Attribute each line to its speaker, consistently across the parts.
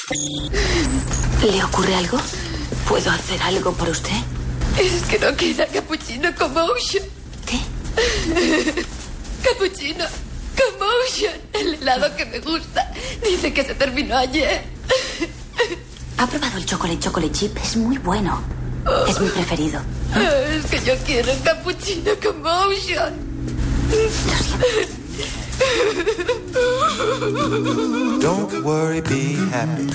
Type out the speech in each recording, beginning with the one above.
Speaker 1: ¿Le ocurre algo? ¿Puedo hacer algo por usted?
Speaker 2: Es que no queda cappuccino Commotion.
Speaker 1: ¿Qué?
Speaker 2: Cappuccino Commotion, el helado que me gusta. Dice que se terminó ayer.
Speaker 1: ¿Ha probado el chocolate chip? Es muy bueno. Es mi preferido.
Speaker 2: Es que yo quiero un cappuccino Commotion.
Speaker 1: Lo siento.
Speaker 3: Don't worry, be happy.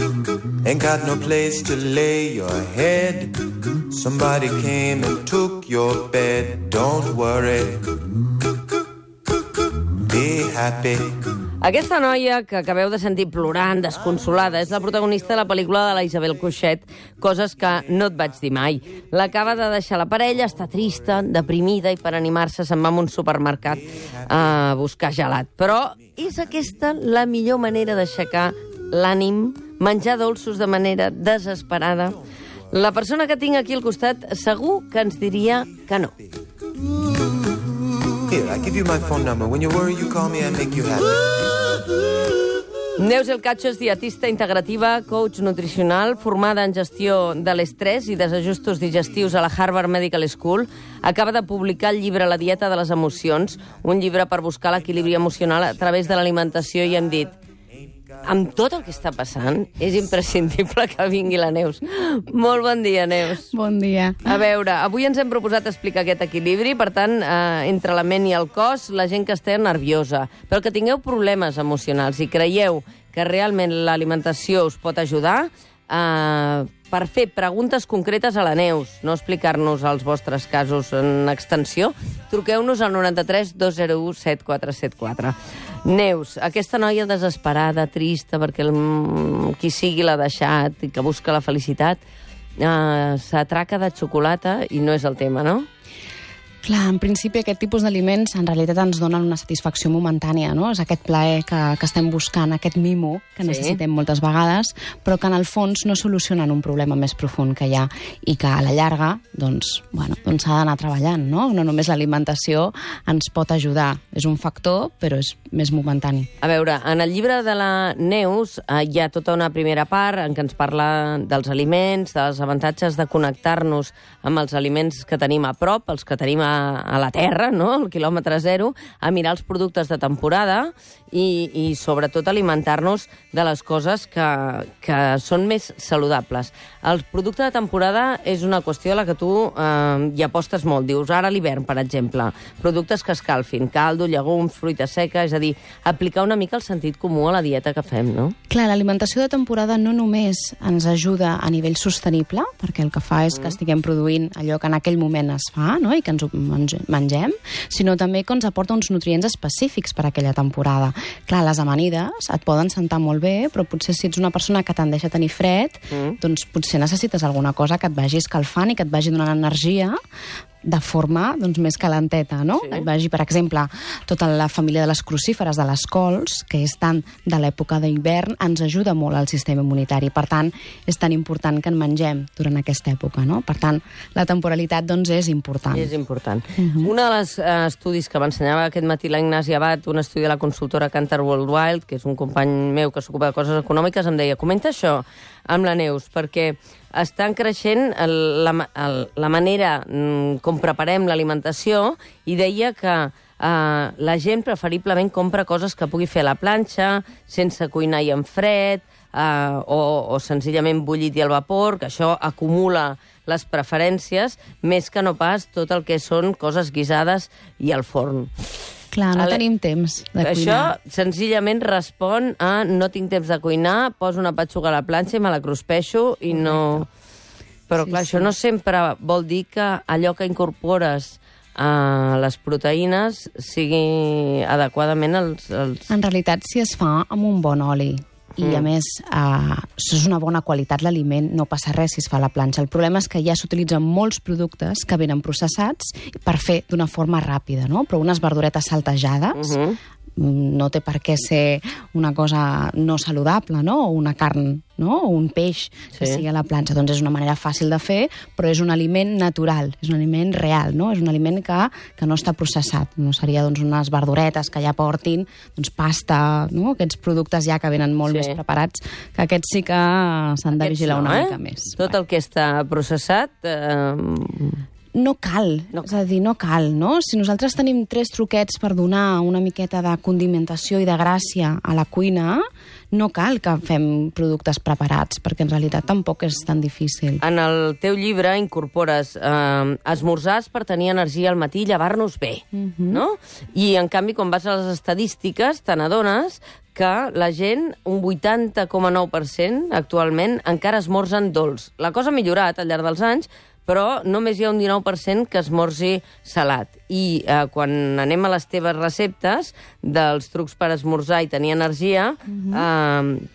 Speaker 3: Ain't got no place to lay your head. Somebody came and took your bed. Don't worry, be happy.
Speaker 4: Aquesta noia que acabeu de sentir plorant, desconsolada, és la protagonista de la pel·lícula de la Isabel Coixet, Coses que no et vaig dir mai. L'acaba de deixar la parella, està trista, deprimida, i per animar-se se'n va a un supermercat a buscar gelat. Però és aquesta la millor manera d'aixecar l'ànim, menjar dolços de manera desesperada? La persona que tinc aquí al costat segur que ens diria que no.
Speaker 3: Here, I give you my phone number. When you worry, you call me, I make you happy.
Speaker 4: Neus El Cacho és dietista integrativa, coach nutricional, formada en gestió de l'estrès i desajustos digestius a la Harvard Medical School. Acaba de publicar el llibre La dieta de les emocions, un llibre per buscar l'equilibri emocional a través de l'alimentació, i hem dit, amb tot el que està passant, és imprescindible que vingui la Neus. Molt bon dia, Neus.
Speaker 5: Bon dia.
Speaker 4: A veure, avui ens hem proposat explicar aquest equilibri, per tant, entre la ment i el cos, la gent que està nerviosa, però que tingueu problemes emocionals i creieu que realment l'alimentació us pot ajudar, per fer preguntes concretes a la Neus, no explicar-nos els vostres casos en extensió, truqueu-nos al 93 201 7474. Neus, aquesta noia desesperada, trista, perquè qui sigui l'ha deixat i que busca la felicitat, s'atraca de xocolata i no és el tema, no?
Speaker 5: Clar, en principi aquest tipus d'aliments en realitat ens donen una satisfacció momentània, no? És aquest plaer que estem buscant, aquest mimo que necessitem moltes vegades, però que en el fons no solucionen un problema més profund que hi ha i que a la llarga doncs s'ha d'anar treballant, no? No només l'alimentació ens pot ajudar, és un factor, però és més momentani.
Speaker 4: A veure, en el llibre de la Neus hi ha tota una primera part en què ens parla dels aliments, dels avantatges de connectar-nos amb els aliments que tenim a prop, els que tenim a la terra, no? Al quilòmetre zero, a mirar els productes de temporada i sobretot alimentar-nos de les coses que són més saludables. El producte de temporada és una qüestió a la que tu hi apostes molt. Dius, ara a l'hivern, per exemple, productes que escalfin, caldo, llegums, fruita seca, és a dir, aplicar una mica el sentit comú a la dieta que fem, no?
Speaker 5: Clar, l'alimentació de temporada no només ens ajuda a nivell sostenible, perquè el que fa és que estiguem produint allò que en aquell moment es fa, no? I que ens ho mengem, sinó també que ens aporta uns nutrients específics per a aquella temporada. Clar, les amanides et poden sentar molt bé, però potser si ets una persona que tendeix a tenir fred, doncs potser necessites alguna cosa que et vagi escalfant i que et vagi donant energia de forma més calenteta, no? Sí. Vagi, per exemple, tota la família de les crucíferes, de les cols, que és tant de l'època d'hivern, ens ajuda molt al sistema immunitari. Per tant, és tan important que en mengem durant aquesta època, no? Per tant, la temporalitat, és important.
Speaker 4: És important. Un dels estudis que m'ensenyava aquest matí la Ignasi Abad, un estudi de la consultora Cantar Worldwide, que és un company meu que s'ocupa de coses econòmiques, em deia, comenta això amb la Neus, perquè estan creixent la manera com preparem l'alimentació, i deia que la gent preferiblement compra coses que pugui fer a la planxa, sense cuinar i en fred, o senzillament bullit i al vapor, que això acumula les preferències, més que no pas tot el que són coses guisades i al forn.
Speaker 5: Clar, no tenim temps de cuinar.
Speaker 4: Això senzillament respon a no tinc temps de cuinar, poso una petxuga a la planxa i me la cruspeixo i no... Però clar, això no sempre vol dir que allò que incorpores a les proteïnes sigui adequadament els...
Speaker 5: En realitat, si es fa amb un bon oli i, a més, és una bona qualitat l'aliment, no passa res si es fa a la planxa. El problema és que ja s'utilitzen molts productes que venen processats per fer d'una forma ràpida, no? Però unes verduretes saltejades no té per què ser una cosa no saludable, no? O una carn no? O un peix que sigui a la planxa. Doncs és una manera fàcil de fer, però és un aliment natural, és un aliment real, no? És un aliment que no està processat. No seria doncs, unes verduretes que ja portin doncs, pasta, no? Aquests productes ja que venen molt més preparats, que aquests sí que s'han de vigilar una mica més.
Speaker 4: Tot el que està processat...
Speaker 5: No cal, és a dir, no cal, no? Si nosaltres tenim 3 truquets per donar una miqueta de condimentació i de gràcia a la cuina, no cal que fem productes preparats, perquè en realitat tampoc és tan difícil.
Speaker 4: En el teu llibre incorpores esmorzars per tenir energia al matí i llevar-nos bé, no? I, en canvi, quan vas a les estadístiques, te n'adones que la gent, un 80,9% actualment, encara esmorzen dolç. La cosa ha millorat al llarg dels anys, però només hi ha un 19% que esmorzi salat. I quan anem a les teves receptes dels trucs per esmorzar i tenir energia,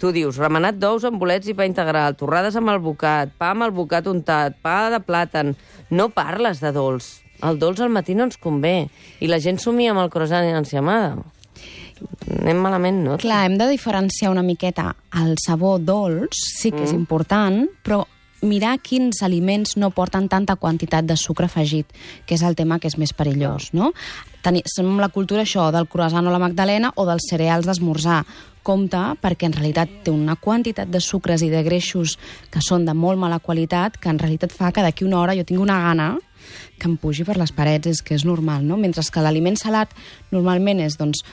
Speaker 4: tu dius remenat d'ous amb bolets i pa integral, torrades amb albocat, pa amb albocat untat, pa de plàtan. No parles de dolç. El dolç al matí no ens convé. I la gent somia amb el croissant i l'enciamada. Anem malament, no?
Speaker 5: Clar, hem de diferenciar una miqueta. El sabor dolç sí que és important, però mirar quins aliments no porten tanta quantitat de sucre afegit, que és el tema que és més perillós, no? Som la cultura això del croissant o la magdalena o dels cereals d'esmorzar. Compte, perquè en realitat té una quantitat de sucres i de greixos que són de molt mala qualitat, que en realitat fa que d'aquí una hora jo tingui una gana que em pugi per les parets, és que és normal, no? Mentre que l'aliment salat normalment és, doncs,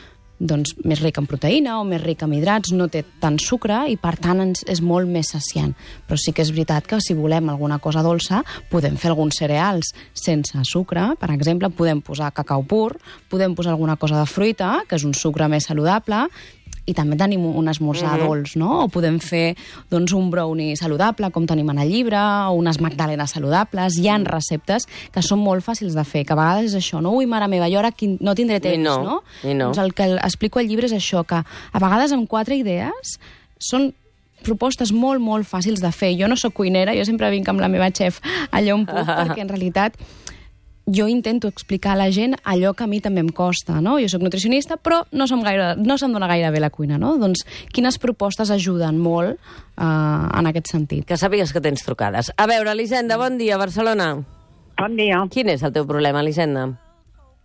Speaker 5: més ric en proteïna o més ric en hidrats, no té tant sucre i, per tant, és molt més saciant. Però sí que és veritat que si volem alguna cosa dolça, podem fer alguns cereals sense sucre. Per exemple, podem posar cacau pur, podem posar alguna cosa de fruita, que és un sucre més saludable, i també tenim un esmorzar dolç, no? O podem fer doncs, un brownie saludable, com tenim en el llibre, o unes magdalenes saludables. Hi ha receptes que són molt fàcils de fer, que a vegades és això, no? Ui, mare meva, jo ara no tindré temps, no? Doncs el que explico al llibre és això, que a vegades amb 4 idees són propostes molt, molt fàcils de fer. Jo no sóc cuinera, jo sempre vinc amb la meva xef allà on puc, perquè en realitat jo intento explicar a la gent allò que a mi també em costa, no? Jo sóc nutricionista, però no se'm dona gaire bé la cuina, no? Doncs quines propostes ajuden molt en aquest sentit.
Speaker 4: Que sàpigues que tens trucades. A veure, Elisenda, bon dia, Barcelona.
Speaker 6: Bon dia.
Speaker 4: Quin és el teu problema, Elisenda?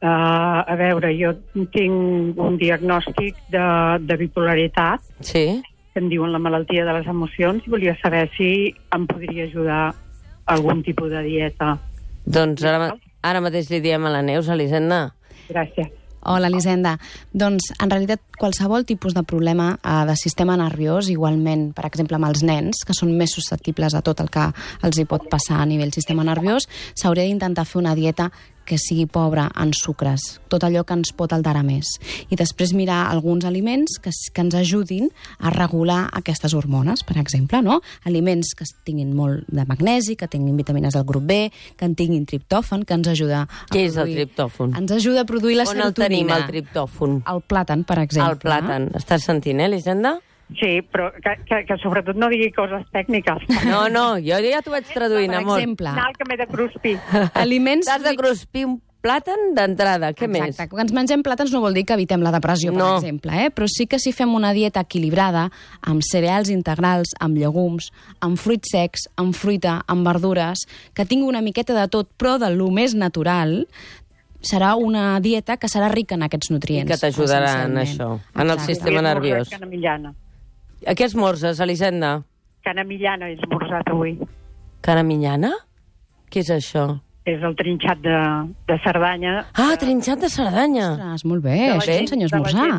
Speaker 6: A veure, jo tinc un diagnòstic de bipolaritat, que em diuen la malaltia de les emocions, i volia saber si em podria ajudar algun tipus de dieta.
Speaker 4: Doncs ara mateix li diem a la Neus, Elisenda.
Speaker 6: Gràcies.
Speaker 5: Hola, Elisenda. Doncs, en realitat, qualsevol tipus de problema de sistema nerviós, igualment, per exemple, amb els nens, que són més susceptibles a tot el que els hi pot passar a nivell sistema nerviós, s'hauria d'intentar fer una dieta que sigui pobra en sucres, tot allò que ens pot alterar més. I després mirar alguns aliments que ens ajudin a regular aquestes hormones, per exemple, no? Aliments que tinguin molt de magnesi, que tinguin vitamines del grup B, que en tinguin triptòfan, que ens ajuda a
Speaker 4: Què és el triptòfan?
Speaker 5: Ens ajuda a produir la serotonina.
Speaker 4: On el tenim, el triptòfan?
Speaker 5: El plàtan, per exemple.
Speaker 4: El plàtan. Estàs sentint, Elisenda?
Speaker 6: Sí, però que sobretot no digui coses tècniques.
Speaker 4: No, jo ja t'ho vaig traduint, amor.
Speaker 5: Per exemple...
Speaker 6: Anar que m'he de cruspir.
Speaker 5: Aliments...
Speaker 4: T'has de cruspir un plàtan d'entrada, què més?
Speaker 5: Exacte, quan ens mengem plàtans no vol dir que evitem la depressió, per exemple, però sí que si fem una dieta equilibrada, amb cereals integrals, amb llegums, amb fruits secs, amb fruita, amb verdures, que tingui una miqueta de tot, però de lo més natural, serà una dieta que serà rica en aquests nutrients.
Speaker 4: I que t'ajudarà en això, en el sistema nerviós. A què esmorzes, Elisenda?
Speaker 6: Cana millana he esmorzat avui.
Speaker 4: Cana millana? Què és això?
Speaker 6: És el trinxat de Cerdanya.
Speaker 4: Ah, trinxat de Cerdanya.
Speaker 5: Ostres, molt bé, això t'ensenya a esmorzar.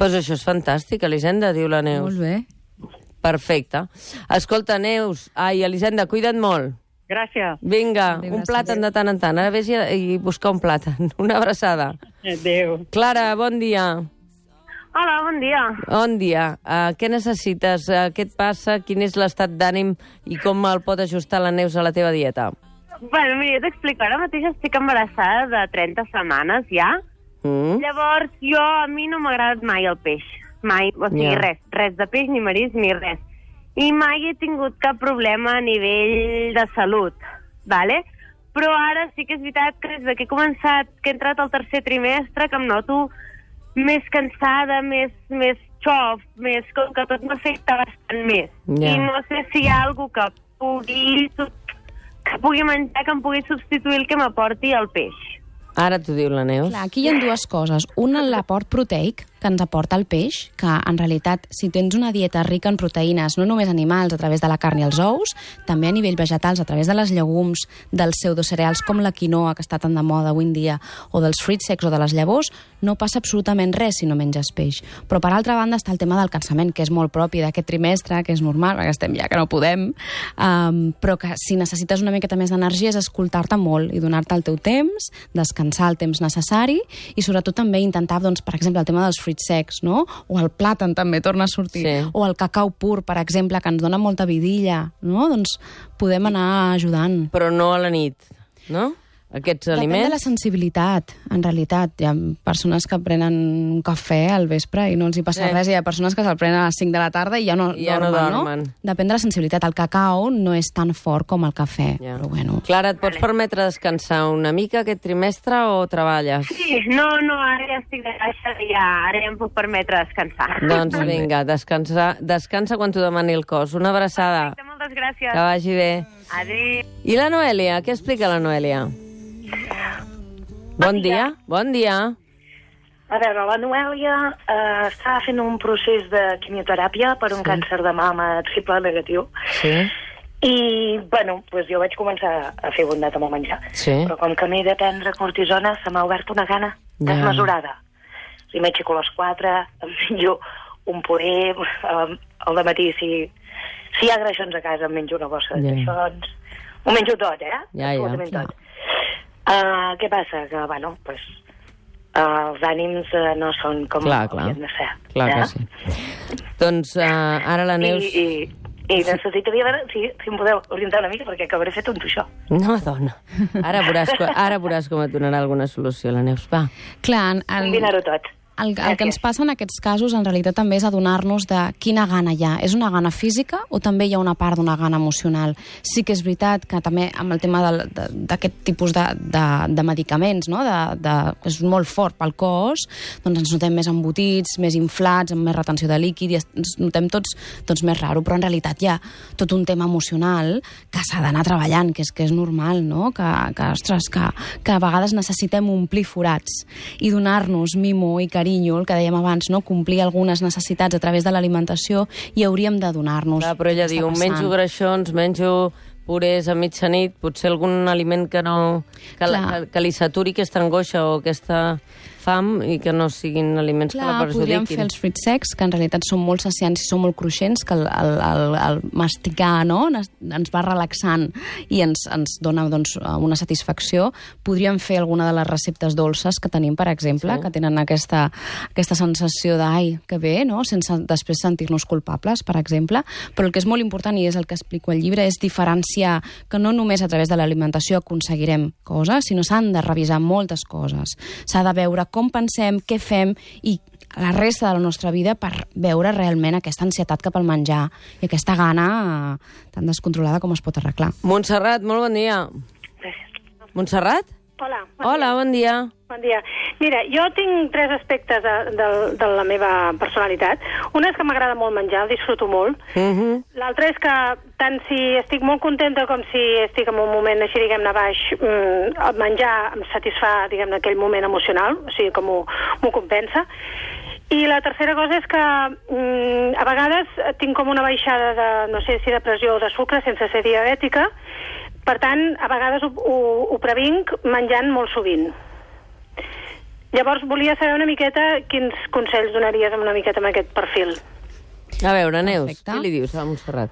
Speaker 4: Pues això és fantàstic, Elisenda, diu la Neus.
Speaker 5: Molt bé.
Speaker 4: Perfecte. Escolta, Neus, Elisenda, cuida't molt.
Speaker 6: Gràcies.
Speaker 4: Vinga, un plàtan de tant en tant. Ara vés i buscar un plàtan. Una abraçada.
Speaker 6: Adéu.
Speaker 4: Clara, bon dia.
Speaker 7: Hola, bon dia.
Speaker 4: Bon dia. Què necessites? Què et passa? Quin és l'estat d'ànim i com el pot ajustar la Neus a la teva dieta?
Speaker 7: Bueno, mira, jo t'explico. Ara mateix estic embarassada de 30 setmanes ja. Llavors, a mi no m'ha agradat mai el peix. Mai, o sigui, res de peix, ni marisc, ni res. I mai he tingut cap problema a nivell de salut, vale? Però ara sí que és veritat que des que he començat, que he entrat al tercer trimestre, que em noto més cansada, més xof, més com que tot m'afecta bastant més. I no sé si hi ha alguna que pugui menjar, que em pugui substituir el que m'aporti el peix.
Speaker 4: Ara t'ho diu la Neus.
Speaker 5: Clar, aquí hi ha dues coses. Una, l'aport proteic, que ens aporta el peix, que en realitat, si tens una dieta rica en proteïnes, no només animals a través de la carn i els ous, també a nivell vegetals, a través de les llegums, dels pseudocereals com la quinoa, que està tan de moda avui en dia, o dels fruits secs o de les llavors, no passa absolutament res si no menges peix. Però, per altra banda, està el tema del cansament, que és molt propi d'aquest trimestre, que és normal, perquè estem ja que no podem, però que si necessites una miqueta més d'energia és escoltar-te molt i donar-te el teu temps, descansar el temps necessari i, sobretot, també intentar, doncs, per exemple, el tema dels fruits secs, no? O el plàtan també torna a sortir. Sí. O el cacau pur, per exemple, que ens dona molta vidilla, no? Doncs podem anar ajudant.
Speaker 4: Però no a la nit, no? Aquests aliments...
Speaker 5: Depèn de la sensibilitat, en realitat. Hi ha persones que prenen un cafè al vespre i no els hi passa res, i hi ha persones que se'l prenen a les 5 de la tarda i ja no dormen. Depèn de la sensibilitat. El cacau no és tan fort com el cafè, però bueno.
Speaker 4: Clara, et pots permetre descansar una mica aquest trimestre o treballes?
Speaker 7: Sí, no, ara ja estic de baixa i ara ja em puc permetre descansar.
Speaker 4: Doncs vinga, descansa quan t'ho demani el cos. Una abraçada.
Speaker 7: Perfecte, moltes gràcies.
Speaker 4: Que vagi bé.
Speaker 7: Adéu.
Speaker 4: I la Noèlia? Què explica la Noèlia? Bon dia. Bon dia.
Speaker 8: A veure, la Noèlia està fent un procés de quimioteràpia per un càncer de mama triple negatiu.
Speaker 4: Sí.
Speaker 8: I, bueno, doncs jo vaig començar a fer bondat amb el menjar.
Speaker 4: Sí.
Speaker 8: Però com que m'he de prendre cortisona, se m'ha obert una gana desmesurada. I m'aixeco a les 4, em menjo un puré, al dematí, si hi ha greixons a casa, em menjo una bossa de greixons. Ho menjo tot, absolutament tot. Què passa? Que, bueno, doncs, els ànims no són com haurien de ser.
Speaker 4: Clar que sí. Doncs ara la Neus...
Speaker 8: I necessitaria veure si em podeu orientar una mica, perquè acabaré fet un tuixó.
Speaker 4: No, dona. Ara veuràs com et donarà alguna solució, la Neus. Va.
Speaker 5: Clar,
Speaker 8: combinar-ho tot.
Speaker 5: El que ens passa en aquests casos, en realitat, també és adonar-nos de quina gana hi ha. És una gana física o també hi ha una part d'una gana emocional? Sí que és veritat que també amb el tema d'aquest tipus de medicaments, no? És molt fort pel cos, doncs ens notem més embotits, més inflats, amb més retenció de líquid, i ens notem tots més raro. Però en realitat hi ha tot un tema emocional que s'ha d'anar treballant, que és normal, no? Que a vegades necessitem omplir forats i donar-nos mimo i carinyo, el que dèiem abans, no? Complir algunes necessitats a través de l'alimentació, i hauríem de donar-nos.
Speaker 4: Però ella diu, menjo greixons, menjo purés a mitjanit, potser algun aliment que li saturi aquesta angoixa o aquesta fam i que no siguin aliments que la perjudiquin.
Speaker 5: Podríem fer els fruits secs, que en realitat són molt saciants i són molt cruixents, que el masticar, no? ens va relaxant i ens dona, doncs, una satisfacció. Podríem fer alguna de les receptes dolces que tenim, per exemple, que tenen aquesta sensació d'ai, que bé, no? Sense després sentir-nos culpables, per exemple. Però el que és molt important, i és el que explico al llibre, és diferenciar que no només a través de l'alimentació aconseguirem coses, sinó s'han de revisar moltes coses. S'ha de veure com pensem, què fem i la resta de la nostra vida per veure realment aquesta ansietat cap al menjar i aquesta gana tan descontrolada com es pot arreglar.
Speaker 4: Montserrat, molt bon dia.
Speaker 8: Gràcies.
Speaker 4: Montserrat?
Speaker 8: Hola.
Speaker 4: Bon dia.
Speaker 8: Bon dia. Mira, jo tinc 3 aspectes de la meva personalitat. Un és que m'agrada molt menjar, el disfruto molt. L'altre és que tant si estic molt contenta com si estic en un moment així, diguem-ne, baix, el menjar em satisfà, diguem-ne, aquell moment emocional, o sigui, com m'ho compensa. I la tercera cosa és que a vegades tinc com una baixada de, no sé si de pressió o de sucre, sense ser diabètica. Per tant, a vegades ho previnc menjant molt sovint. Llavors, volia saber una miqueta quins consells donaries una miqueta amb aquest perfil.
Speaker 4: A veure, Neus, què li dius a Montserrat?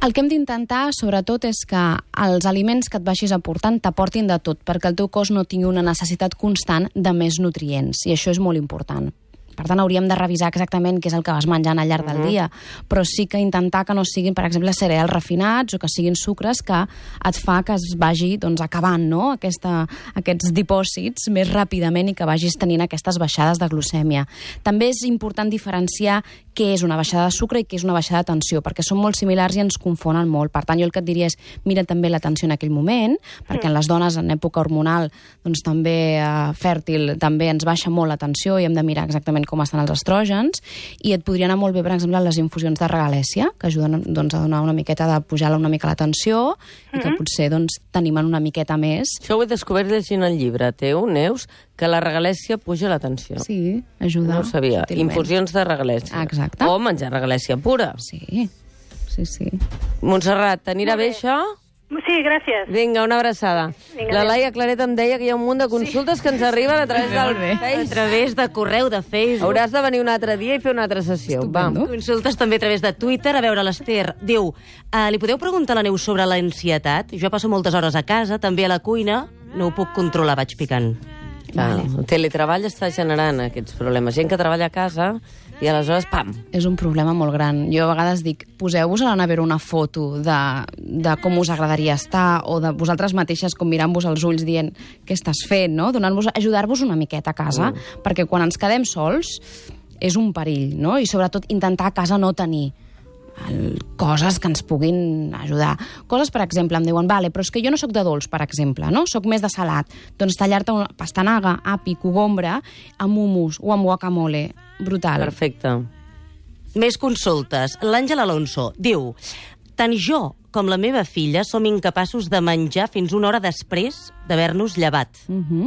Speaker 5: El que hem d'intentar, sobretot, és que els aliments que et vagis aportant t'aportin de tot, perquè el teu cos no tingui una necessitat constant de més nutrients, i això és molt important. Per tant, hauríem de revisar exactament què és el que vas menjant al llarg del dia, però sí que intentar que no siguin, per exemple, cereals refinats o que siguin sucres que et fa que es vagi, doncs, acabant, no? Aquests dipòsits més ràpidament i que vagis tenint aquestes baixades de glucèmia. També és important diferenciar què és una baixada de sucre i què és una baixada de tensió, perquè són molt similars i ens confonen molt. Per tant, jo el que et diria és mira també la tensió en aquell moment, perquè en les dones en època hormonal, doncs també fèrtil, també ens baixa molt la tensió i hem de mirar exactament moment com estan els estrògens, i et podria anar molt bé, per exemple, les infusions de regalèssia, que ajuden doncs, a donar una miqueta de pujar una mica la tensió, i que potser doncs, t'animen una miqueta més.
Speaker 4: Això ho he descobert llegint el llibre teu, Neus, que la regalèssia puja la tensió.
Speaker 5: Sí, ajuda.
Speaker 4: No ho sabia.
Speaker 5: Sutilment.
Speaker 4: Infusions de regalèssia.
Speaker 5: Exacte.
Speaker 4: O menjar regalèssia pura.
Speaker 5: Sí.
Speaker 4: Montserrat, t'anirà bé això?
Speaker 8: Sí, gràcies.
Speaker 4: Vinga, una abraçada. La Laia Claret em deia que hi ha un munt de consultes que ens arriben a través del
Speaker 9: A través de correu, de Facebook.
Speaker 4: Hauràs de venir un altre dia i fer una altra sessió. Va.
Speaker 9: Consultes també a través de Twitter. A veure, l'Ester diu, li podeu preguntar a la Neus sobre l'ansietat? Jo passo moltes hores a casa, també a la cuina, no ho puc controlar, vaig picant.
Speaker 4: El teletreball està generant aquests problemes. Gent que treballa a casa i aleshores, pam!
Speaker 5: És un problema molt gran. Jo a vegades dic, poseu-vos a la nevera una foto de com us agradaria estar, o de vosaltres mateixes com mirant-vos als ulls dient què estàs fent, no? Ajudar-vos una miqueta a casa, perquè quan ens quedem sols és un perill, no? I sobretot intentar a casa no tenir coses que ens puguin ajudar. Coses, per exemple, em diuen, vale, però és que jo no sóc de dolç, per exemple, no? Sóc més de salat. Doncs tallar-te una pastanaga, api, cogombre, amb hummus o amb guacamole. Brutal.
Speaker 4: Perfecte.
Speaker 9: Més consultes. L'Àngel Alonso diu, tant jo com la meva filla som incapaços de menjar fins una hora després d'haver-nos llevat.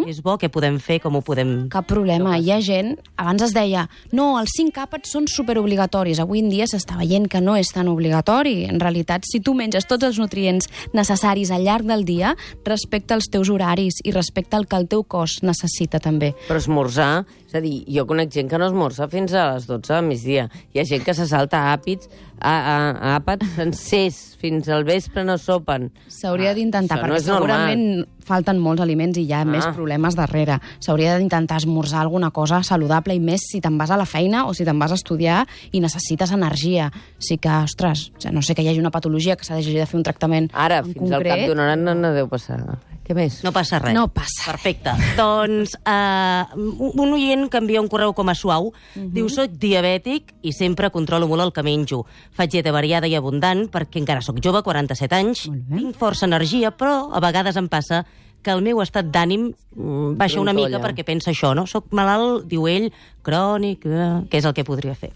Speaker 9: És bo, què podem fer, com ho podem...
Speaker 5: Cap problema. Hi ha gent... Abans es deia, no, els 5 àpats són superobligatoris. Avui en dia s'està veient que no és tan obligatori. En realitat, si tu menges tots els nutrients necessaris al llarg del dia, respecta els teus horaris i respecta el que el teu cos necessita també.
Speaker 4: Però esmorzar... És a dir, jo conec gent que no esmorza fins a les 12 del migdia. Hi ha gent que se salta àpats sencers, fins al vespre no sopen.
Speaker 5: S'hauria d'intentar, perquè
Speaker 4: no
Speaker 5: segurament falten molts aliments i hi ha més problemes darrere. S'hauria d'intentar esmorzar alguna cosa saludable, i més si te'n vas a la feina o si te'n vas a estudiar i necessites energia. Sí que, ostres, no sé que hi hagi una patologia que s'ha de fer un tractament
Speaker 4: ara,
Speaker 5: en
Speaker 4: fins
Speaker 5: concret.
Speaker 4: al cap d'una hora no deu passar. Què més?
Speaker 9: No passa res.
Speaker 5: No passa.
Speaker 9: Perfecte. Doncs un oient que envia un correu com a suau, diu, soc diabètic i sempre controlo molt el que menjo. Faig dieta variada i abundant perquè encara sóc jove, 47 anys, tinc força energia, però a vegades em passa que el meu estat d'ànim baixa una mica perquè pensa això, no? Soc malalt, diu ell, crònic, què és el que podria fer?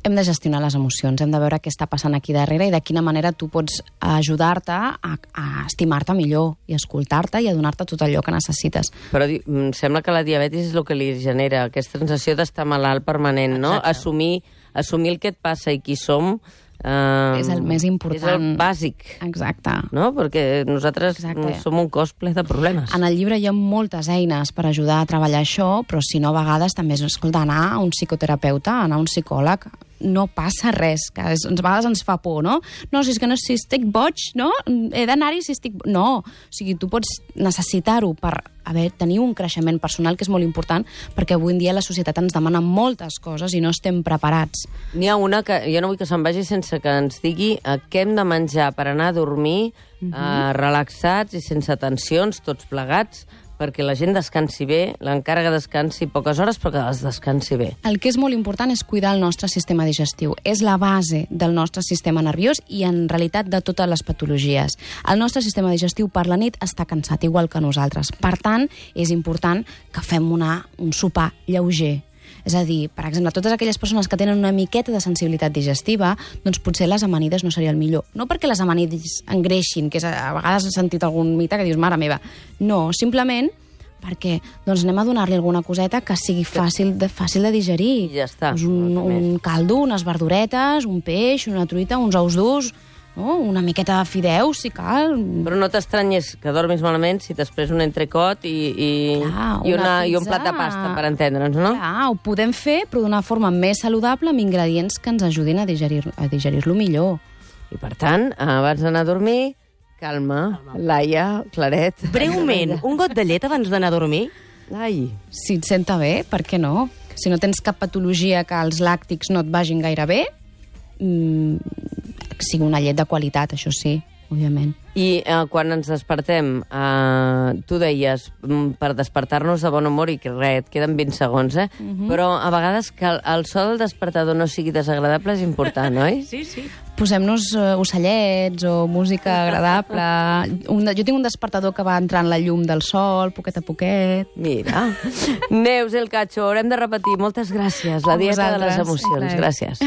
Speaker 5: Hem de gestionar les emocions, hem de veure què està passant aquí darrere i de quina manera tu pots ajudar-te a estimar-te millor i escoltar-te i a donar-te tot allò que necessites.
Speaker 4: Però em sembla que la diabetis és el que li genera aquesta sensació d'estar malalt permanent, no? Assumir el que et passa i qui som
Speaker 5: és el més important.
Speaker 4: És el bàsic.
Speaker 5: Exacte.
Speaker 4: No? Perquè nosaltres som un cos ple de problemes.
Speaker 5: En el llibre hi ha moltes eines per ajudar a treballar això, però si no, a vegades també és, escolta, anar a un psicoterapeuta, anar a un psicòleg, no passa res, que a vegades ens fa por, no? No, si és que no, si estic boig, no? He d'anar-hi si estic... No, o sigui, tu pots necessitar-ho per tenir un creixement personal, que és molt important, perquè avui en dia la societat ens demana moltes coses i no estem preparats.
Speaker 4: N'hi ha una que jo no vull que se'n vagi sense que ens digui què hem de menjar per anar a dormir relaxats i sense tensions, tots plegats, perquè la gent descansi bé, l'encàrrega descansi poques hores, però que es descansi bé.
Speaker 5: El que és molt important és cuidar el nostre sistema digestiu. És la base del nostre sistema nerviós i, en realitat, de totes les patologies. El nostre sistema digestiu per la nit està cansat, igual que nosaltres. Per tant, és important que fem un sopar lleuger. És a dir, per exemple, totes aquelles persones que tenen una miqueta de sensibilitat digestiva, doncs potser les amanides no seria el millor. No perquè les amanides engreixin, que a vegades has sentit algun mite que dius, mare meva. No, simplement perquè doncs anem a donar-li alguna coseta que sigui fàcil de digerir.
Speaker 4: I ja està.
Speaker 5: Doncs un caldo, unes verduretes, un peix, una truita, uns ous durs, no? Una miqueta de fideus, si cal.
Speaker 4: Però no t'estranyes que dormis malament si després un entrecot i un plat de pasta, per entendre'ns, no?
Speaker 5: Clar, ho podem fer, però d'una forma més saludable, amb ingredients que ens ajudin a digerir-lo millor.
Speaker 4: I per tant, abans d'anar a dormir, calma, Laia, Claret.
Speaker 9: Breument, un got de llet abans d'anar a dormir?
Speaker 4: Ai.
Speaker 5: Si et senta bé, per què no? Si no tens cap patologia que els làctics no et vagin gaire bé, sigui una llet de qualitat, això sí. òbviament.
Speaker 4: I quan ens despertem, tu deies, per despertar-nos de bon humor, i que res, et queden 20 segons, però a vegades que el so del despertador no sigui desagradable és important, oi?
Speaker 9: Sí, sí.
Speaker 5: Posem-nos ocellets o música agradable. Jo tinc un despertador que va entrant la llum del sol, poquet a poquet.
Speaker 4: Mira. Neus El Cacho, haurem de repetir. Moltes gràcies. La dieta de les emocions. Gràcies.